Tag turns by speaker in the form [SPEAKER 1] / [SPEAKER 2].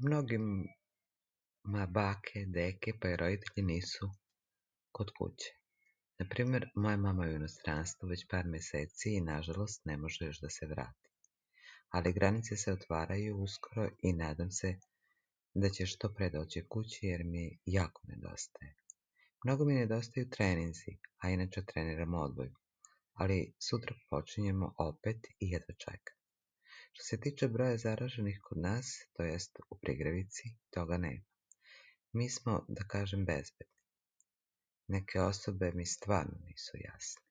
[SPEAKER 1] Mnogima bake, deke pa i roditelji nisu kod kuće. Na primjer, moja mama je u inostranstvu već par mjeseci i nažalost ne može još da se vrati. Ali granice se otvaraju uskoro i nadam se da će što pre doći kući jer mi jako nedostaje. Mnogo mi nedostaju treninzi, a inače treniram odbojku, ali sutra počinjemo opet i jedva čekam. Što se tiče broja zaraženih kod nas, to jest u Prigravici, toga nema. Mi smo, da kažem, bezbedni. Neke osobe mi stvarno nisu jasne.